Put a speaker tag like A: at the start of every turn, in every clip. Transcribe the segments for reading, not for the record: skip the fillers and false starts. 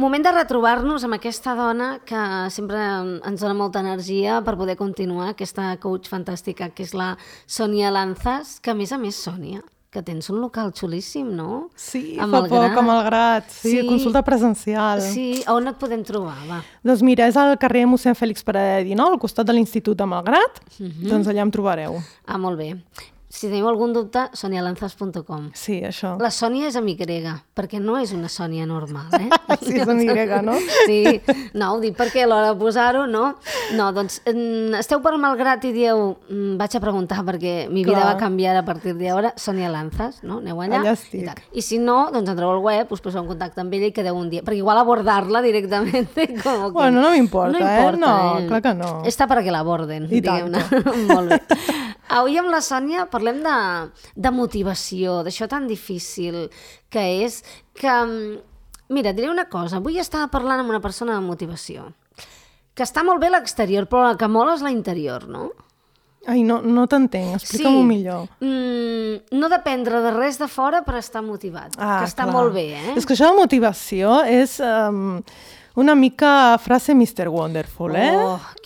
A: moment de retrobar-nos amb aquesta dona que sempre ens dona molta energia per poder continuar, aquesta coach fantàstica que és la Sònia Lanzas, que a més, Sònia, que tens un local xulíssim, no?
B: Sí, fa poc, a Malgrat. Sí, consulta presencial.
A: Sí, on et podem trobar, va?
B: Doncs mira, és al carrer Mossèn Fèlix Paradell 19, al costat de l'Institut de Malgrat. Doncs allà em trobareu.
A: Ah, molt bé. Si teniu algun dubte, sonialanzas.com.
B: Sí, això.
A: La Sònia és amb Y, perquè no és una Sònia normal, eh?
B: Sí, és amb Y, no?
A: Sí, no, ho dic perquè a l'hora de posar-ho, no? No, doncs, esteu per Malgrat i dieu, vaig a preguntar perquè mi vida va canviar a partir d'ara, Sònia Lanzas, no? Aneu allà.
B: Allà estic.
A: I si no, doncs entreu al web, us poseu en contacte amb ella i quedeu un dia. Perquè igual abordar-la directament...
B: Bueno, no m'importa, No, clar que no.
A: Està perquè l'aborden, diguem-ne. Molt bé. Avui amb la Sònia parlem de motivació, d'això tan difícil que és que... Mira, et diré una cosa. Avui estava parlant amb una persona de motivació, que està molt bé a l'exterior, però la que mola és l'interior, no?
B: Ai, no t'entenc, explica-m'ho millor.
A: No dependre de res de fora per estar motivat, que està molt bé, eh?
B: És que això de motivació és... una mica frase Mr. Wonderful, eh?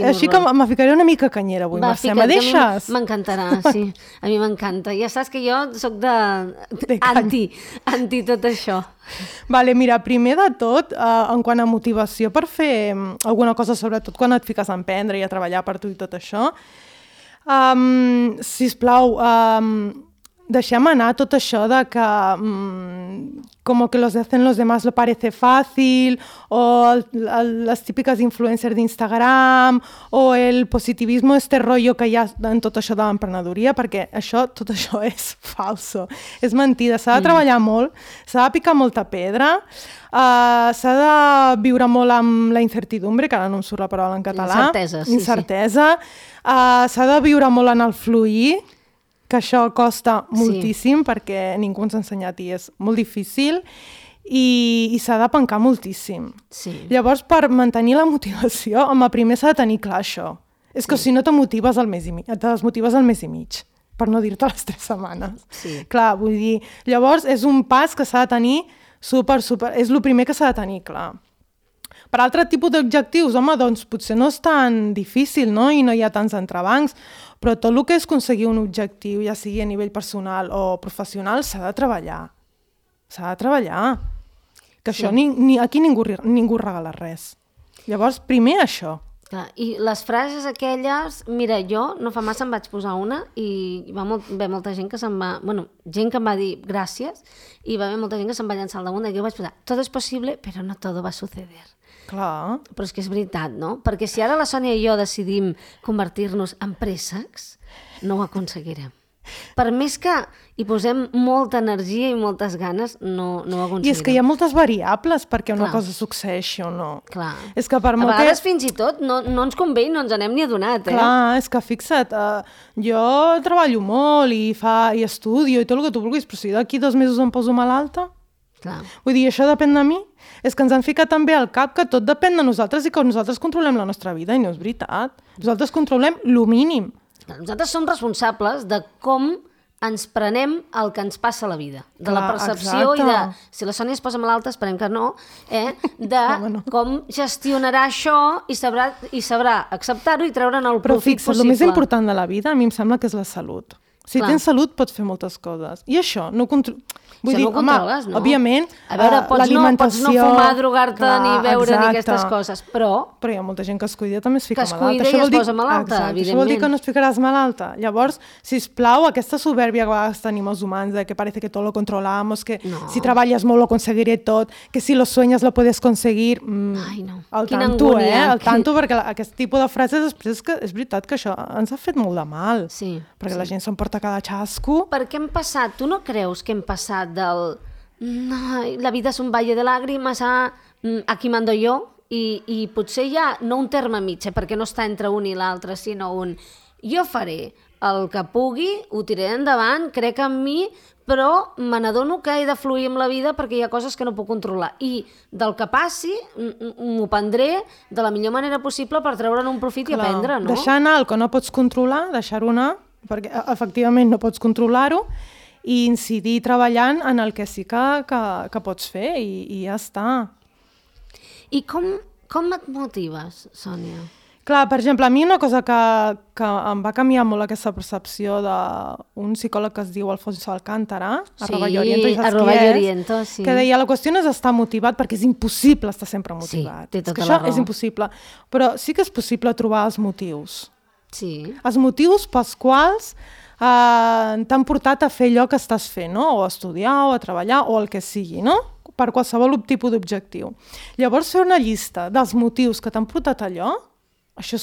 B: Així que me ficaré una mica canyera avui, Mercè. Me deixes?
A: M'encantarà, sí. A mi m'encanta. Ja saps que jo soc anti tot això.
B: Vale, mira, primer de tot, en quant a motivació per fer alguna cosa, sobretot quan et fiques a emprendre i a treballar per tu i tot això, sisplau, deixem anar tot això de que como que los hacen los demás lo parece fácil, o les típiques influencers d'Instagram, o el positivismo, este rollo que hi ha en tot això de l'emprenedoria, perquè tot això és falso, és mentida. S'ha de treballar molt, s'ha de picar molta pedra, s'ha de viure molt amb la incertidumbre, que ara no em surt la paraula en català. Incertesa. S'ha de viure molt en el fluir, que això costa moltíssim perquè ningú ens ha ensenyat i és molt difícil i s'ha de pencar moltíssim. Llavors, per mantenir la motivació, primer s'ha de tenir clar això. És que si no te desmotives al mes i mig, per no dir-te les 3 setmanes. Clar, vull dir, llavors és un pas que s'ha de tenir és el primer que s'ha de tenir clar. Per altre tipus d'objectius, doncs potser no és tan difícil, no? I no hi ha tants entrebancs, però tot el que és aconseguir un objectiu, ja sigui a nivell personal o professional, s'ha de treballar. S'ha de treballar. Que això, aquí ningú regala res. Llavors, primer això.
A: I les frases aquelles, mira, jo no fa massa em vaig posar una i va haver molta gent que se'n va... gent que em va dir gràcies i va haver molta gent que se'n va llançar al damunt i jo vaig posar, todo es posible, pero no todo va a suceder.
B: Clar.
A: Però és que és veritat, no? Perquè si ara la Sònia i jo decidim convertir-nos en préssecs, no ho aconseguirem. Per més que hi posem molta energia i moltes ganes, no ho aconseguirem.
B: I és que hi ha moltes variables perquè una cosa succeeixi o no.
A: Clar.
B: És que
A: a vegades fins i tot no ens convé i no ens n'hem ni adonat, eh?
B: Clar, és que fixa't, jo treballo molt i estudio i tot el que tu vulguis, però si d'aquí 2 mesos em poso malalta...
A: Clar.
B: Vull dir, això depèn de mi. És que ens han ficat també al cap que tot depèn de nosaltres i que nosaltres controlem la nostra vida i no és veritat. Nosaltres controlem lo mínim.
A: Nosaltres som responsables de com ens prenem el que ens passa a la vida. De la percepció i de... Si la Sònia es posa malalta, esperem que no, de com gestionarà això i sabrà acceptar-ho i treure'n el profit possible.
B: Però el més important de la vida a mi em sembla que és la salut. Si tens salut, pots fer moltes coses. I això, no
A: controles, no?
B: Òbviament,
A: Pots
B: l'alimentació...
A: no fumar, drogar-te, ni beure, ni aquestes coses, però...
B: Però hi ha molta gent que es cuida, també es fica malalta.
A: Que es cuida i es posa malalta, evidentment.
B: Això vol dir que no es ficaràs malalta. Llavors, sisplau, aquesta soberbia que a vegades tenim els humans, de que parece que tot lo controlamos, que si treballes molt lo conseguiré tot, que si lo sueñas lo puedes conseguir...
A: Ai, no.
B: Al tanto, al tanto, perquè aquest tipus de frases després és veritat que això ens ha fet molt de mal.
A: Sí.
B: Perquè la gent s'emporta cada xasco.
A: Perquè hem passat, tu no creus que hem passat del... La vida és un valle de làgrimes a aquí mando jo, i potser hi ha, no un terme mig, perquè no està entre un i l'altre, sinó jo faré el que pugui, ho tiraré endavant, crec en mi, però me n'adono que he de fluir amb la vida perquè hi ha coses que no puc controlar. I del que passi, m'ho prendré de la millor manera possible per treure'n un profit i aprendre, no?
B: Deixar anar el que no pots controlar, deixar-ho anar, perquè efectivament no pots controlar-ho, i incidir treballant en el que sí que pots fer i ja està.
A: I com et motives, Sònia?
B: Clar, per exemple, a mi una cosa que em va canviar molt aquesta percepció d'un psicòleg que es diu Alfonso Alcántara,
A: @Lloriento, sí.
B: Que deia, la qüestió no és estar motivat, perquè és impossible estar sempre motivat.
A: Sí, té tota
B: la
A: raó.
B: Això és impossible, però sí que és possible trobar els motius.
A: Sí.
B: Els motius pels quals t'han portat a fer allò que estàs fent, no? O a estudiar, o a treballar, o el que sigui, no? Per qualsevol tipus d'objectiu. Llavors, fer una llista dels motius que t'han portat allò, això és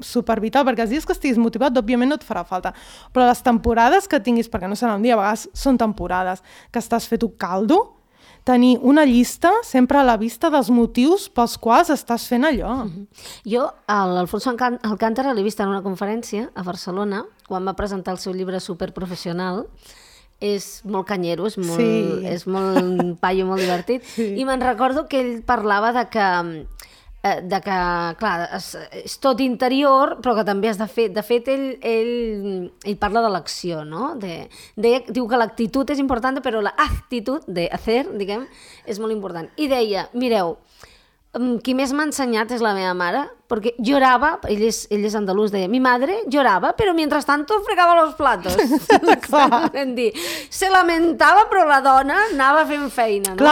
B: super vital, perquè els dies que estiguis motivat, òbviament no et farà falta. Però les temporades que tinguis, perquè no serà un dia, a vegades són temporades, que estàs fet un caldo, tenir una llista sempre a la vista dels motius pels quals estàs fent allò.
A: Jo, l'Alfonso Alcántara l'he vist en una conferència a Barcelona, quan va presentar el seu llibre Superprofessional. És molt canyero, és molt un paio molt divertit. Sí. I me'n recordo que ell parlava de que clar, és tot interior, però que també has de fer. De fet, ell parla de l'acció, no? Diu que l'actitud és important, però l'actitud de hacer, diguem, és molt important. I deia, mireu, qui més m'ha ensenyat és la meva mare, perquè llorava, ell és andalús, deia, mi madre llorava, però mientras tanto fregava los platos. Se lamentava, però la dona anava fent feina, no?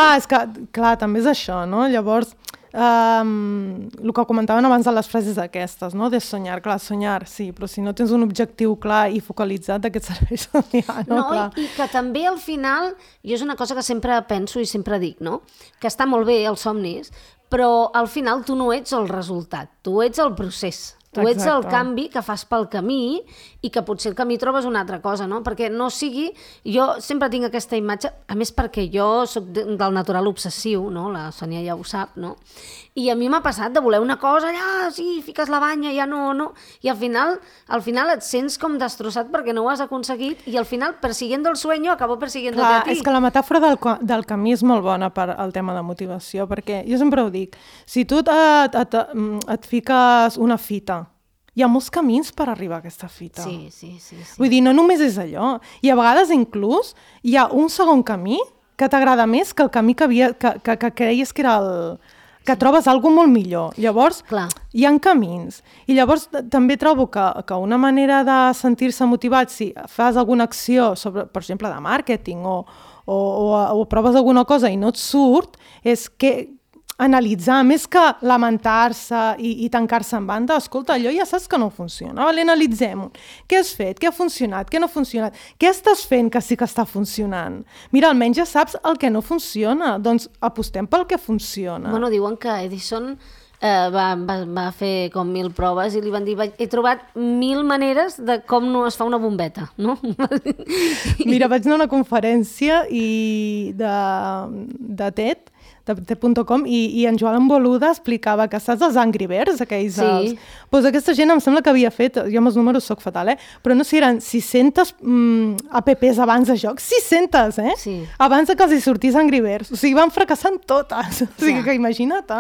B: Clar, també és això, no? Llavors, el que comentaven abans de les frases aquestes, no? De soñar, clar, soñar, sí, però si no tens un objectiu clar i focalitzat, de què et serveix somiar, no?
A: No, i que també al final, jo és una cosa que sempre penso i sempre dic, no? Que està molt bé els somnis, però al final tu no ets el resultat, tu ets el procés. Tu ets el canvi que fas pel camí i que potser el camí trobes una altra cosa, no? Perquè no sigui... Jo sempre tinc aquesta imatge, a més perquè jo soc del natural obsessiu, no? La Sònia ja ho sap, no? I a mi m'ha passat de voler una cosa, allà, sí, fiques la banya, ja no... I al final et sents com destrossat perquè no ho has aconseguit i al final, persiguiendo el sueño, acabo persiguiendo a ti.
B: És que la metàfora del camí és molt bona per al tema de motivació, perquè jo sempre ho dic, si tu et fiques una fita, hi ha molts camins per arribar a aquesta fita.
A: Sí.
B: Vull dir, no només és allò. I a vegades inclús hi ha un segon camí que t'agrada més que el camí que creies que era el... que trobes alguna molt millor. Llavors, hi ha camins. I llavors també trobo que una manera de sentir-se motivat, si fas alguna acció, sobre, per exemple, de màrqueting o proves alguna cosa i no et surt, és que analitzar, més que lamentar-se i tancar-se en banda, escolta, allò ja saps que no funciona, vale? Analitzem-ho. Què has fet? Què ha funcionat? Què no ha funcionat? Què estàs fent que sí que està funcionant? Mira, almenys ja saps el que no funciona, doncs apostem pel que funciona.
A: Bueno, diuen que Edison va fer com 1000 proves i li van dir, he trobat 1000 maneres de com no es fa una bombeta, no?
B: Mira, vaig anar a una conferència de TED, de TED.com, i en Joan Boluda explicava que saps els Angry Birds, aquells...
A: Sí.
B: Doncs aquesta gent em sembla que havia fet, jo amb els números soc fatal, però no sé si eren 600 apps abans de joc, 600,
A: Sí.
B: Abans que els hi sortís Angry Birds. O sigui, van fracassant totes. O sigui, que imagina't,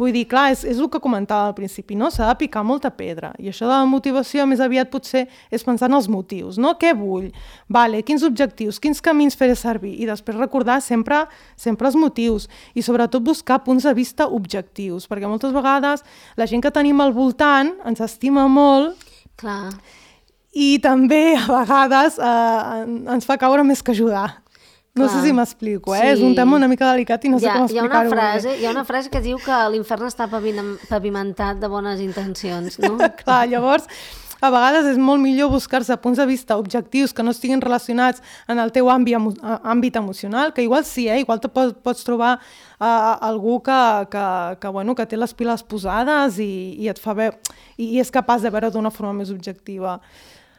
B: Vull dir, clar, és el que comentava al principi, no? S'ha de picar molta pedra. I això de la motivació, més aviat, potser és pensar en els motius, no? Què vull? Vale, quins objectius, quins camins faré servir? I després recordar sempre els motius. I sobretot buscar punts de vista objectius, perquè moltes vegades la gent que tenim al voltant ens estima molt.
A: Clar.
B: I també a vegades ens fa caure més que ajudar. No sé si m'explico,
A: Sí.
B: És un tema una mica delicat i no sé com explicar-ho.
A: Hi ha una frase que diu que l'infern està pavimentat de bones intencions, no?
B: Clar, llavors, a vegades és molt millor buscar-se punts de vista objectius que no estiguin relacionats en el teu àmbit emocional, que igual sí, igual te pots trobar algú que té les piles posades i et fa veure, i és capaç de veure d'una forma més objectiva.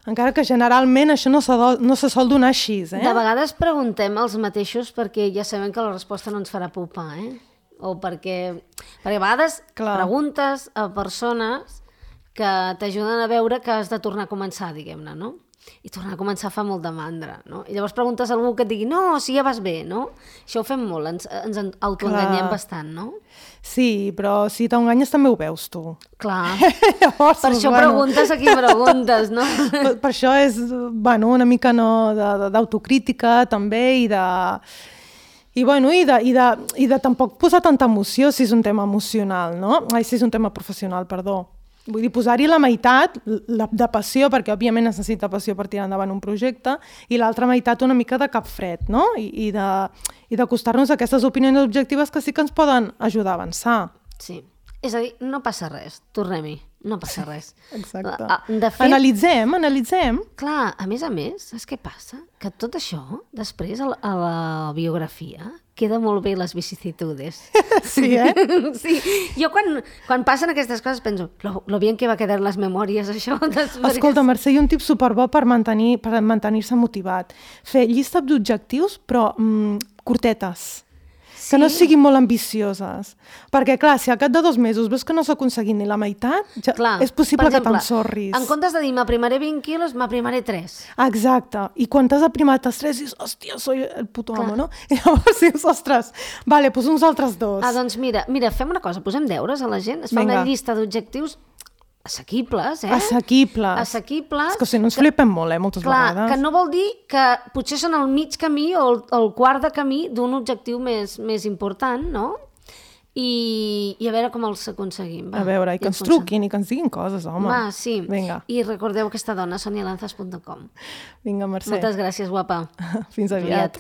B: Encara que generalment això no se sol donar així,
A: De vegades preguntem els mateixos perquè ja sabem que la resposta no ens farà pupar, O perquè a vegades preguntes a persones que t'ajuden a veure que has de tornar a començar, diguem-ne, no? I tornar a començar fa molt de mandra, no? I llavors preguntes a algú que et digui, no, si ja vas bé, no? Això ho fem molt, ens autoenganyem bastant, no?
B: Sí, però si t'enganyes també ho veus tu.
A: Clar.
B: Llavors,
A: per això preguntes a qui preguntes, no?
B: Per això és una mica d'autocrítica també i I, bueno, i de tampoc posar tanta emoció si és un tema emocional, no? Ai, si és un tema professional, perdó. Vull dir, posar-hi la meitat de passió, perquè òbviament necessita passió per tirar endavant un projecte, i l'altra meitat una mica de cap fred, no? I d'acostar-nos a aquestes opinions objectives que sí que ens poden ajudar a avançar.
A: Sí. És a dir, no passa res, tornem-hi, no passa res.
B: Exacte.
A: De fet,
B: Analitzem.
A: clar, a més, saps què passa? Que tot això, després, a la biografia, queda molt bé les vicissitudes.
B: Sí, eh?
A: Sí, jo quan passen aquestes coses penso, lo bien que va quedar les memòries, això.
B: Escolta, Mercè, hi ha un tip superbo per mantenir-se motivat. Fer llista d'objectius, però curtetes. Que no siguin molt ambicioses. Perquè, clar, si al cap de 2 mesos veus que no s'ha aconseguit ni la meitat, és possible que t'ensorris.
A: En comptes de dir m'aprimaré 20 quilos, m'aprimaré 3.
B: Exacte. I quan t'has aprimat els 3, dius, hòstia, soy el puto amo, no? I llavors dius, ostres, vale, doncs uns altres 2.
A: Doncs mira, fem una cosa, posem deures a la gent, es fa una llista d'objectius assequibles,
B: Assequibles. És que si no ens flipem molt, moltes vegades.
A: Clar, que no vol dir que potser són el mig camí o el quart de camí d'un objectiu més important, no? I a veure com els aconseguim.
B: A veure, i que ens truquin i que ens diguin coses, home.
A: Va, sí.
B: Vinga.
A: I recordeu aquesta dona, sonialanzas.com.
B: Vinga, Mercè.
A: Moltes gràcies, guapa.
B: Fins aviat.